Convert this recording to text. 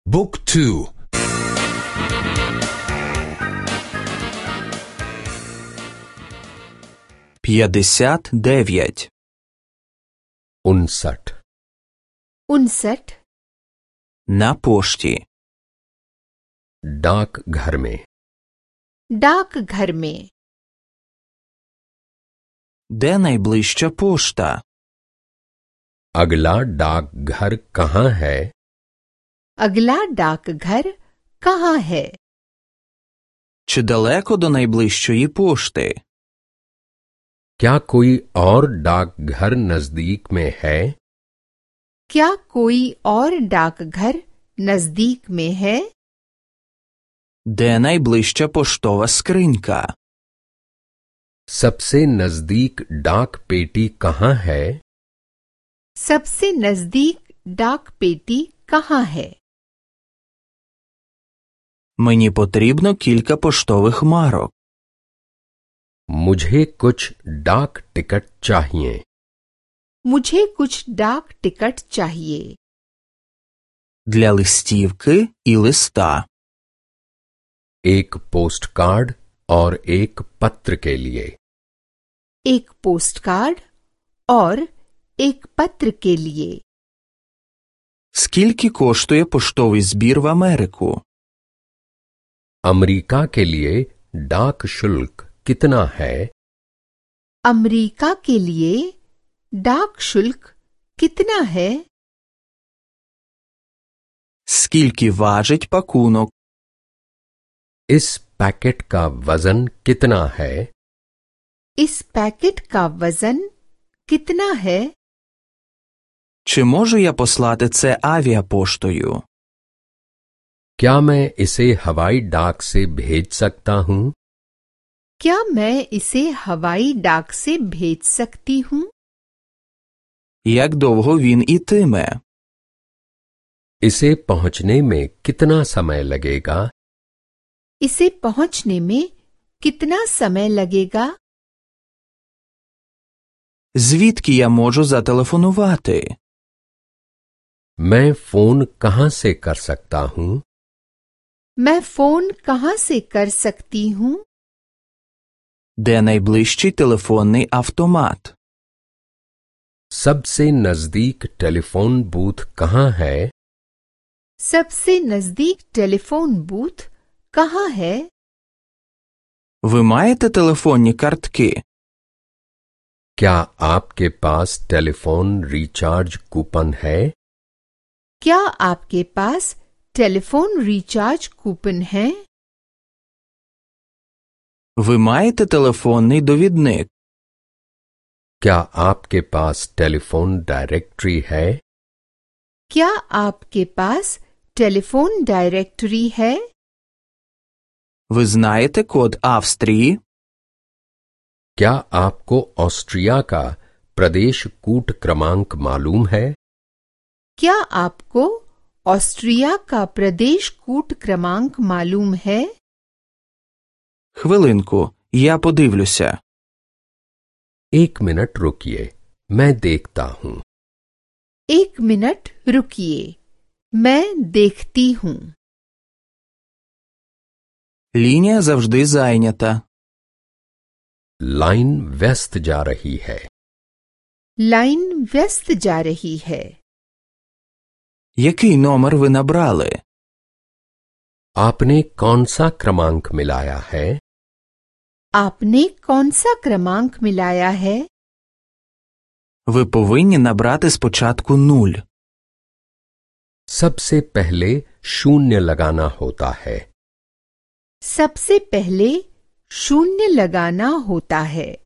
บุ๊กทู59 59 на пошті डाकघर में डाकघर में Де найближча пошта? अगला डाकघर कहाँ है? अगला डाकघर कहाँ है? Чи далеко до найближчої пошти? क्या कोई और डाकघर नजदीक में है? क्या कोई और डाकघर नजदीक में है? Де найближча поштова скринька? सबसे नजदीक डाक पेटी कहाँ है? सबसे नजदीक डाक पेटी कहाँ है? Мені потрібно кілька поштових марок. मुझे कुछ डाक टिकट चाहिए। मुझे कुछ डाक टिकट चाहिए। Для листівки і листа. एक पोस्ट कार्ड और एक पत्र के लिए। एक पोस्ट कार्ड और एक पत्र के लिए। Скільки коштує поштовий збір в Америку? अमेरिका के लिए डाक शुल्क कितना है? अमेरिका के लिए डाक शुल्क कितना है? Скільки важить пакунок? इस पैकेट का वजन कितना है? इस पैकेट का वजन कितना है? Чи можу я послати це авіапоштою? क्या मैं इसे हवाई डाक से भेज सकता हूँ? क्या मैं इसे हवाई डाक से भेज सकती हूँ? Як довго він ітиме? इसे पहुँचने में कितना समय लगेगा? इसे पहुंचने में कितना समय लगेगा? Звідки я можу зателефонувати? मैं फोन कहाँ से कर सकता हूँ? मैं फोन कहाँ से कर सकती हूँ? Де найближчий телефонний автомат? सबसे नजदीक टेलीफोन बूथ कहाँ है? सबसे नजदीक टेलीफोन बूथ कहाँ है? Ви маєте телефонні картки? क्या आपके पास टेलीफोन रिचार्ज कूपन है? क्या आपके पास टेलीफोन रिचार्ज कूपन है? Ви маєте телефонний довідник? क्या आपके पास टेलीफोन डायरेक्टरी है? क्या आपके पास टेलीफोन डायरेक्टरी है? Ви знаєте код Австрії? क्या आपको ऑस्ट्रिया का प्रदेश कूट क्रमांक मालूम है? क्या आपको ऑस्ट्रिया का प्रदेश कूट क्रमांक मालूम है? Хвилинку, я подивлюся. एक मिनट रुकिए, मैं देखता हूँ। एक मिनट रुकिए, मैं देखती हूँ। Лінія завжди зайнята. लाइन व्यस्त जा रही है। लाइन व्यस्त जा रही है। Який номер ви набрали? आपने कौन सा क्रमांक मिलाया है? आपने कौन सा क्रमांक मिलाया है? Ви повинні набрати спочатку 0. सबसे पहले शून्य लगाना होता है। सबसे पहले शून्य लगाना होता है।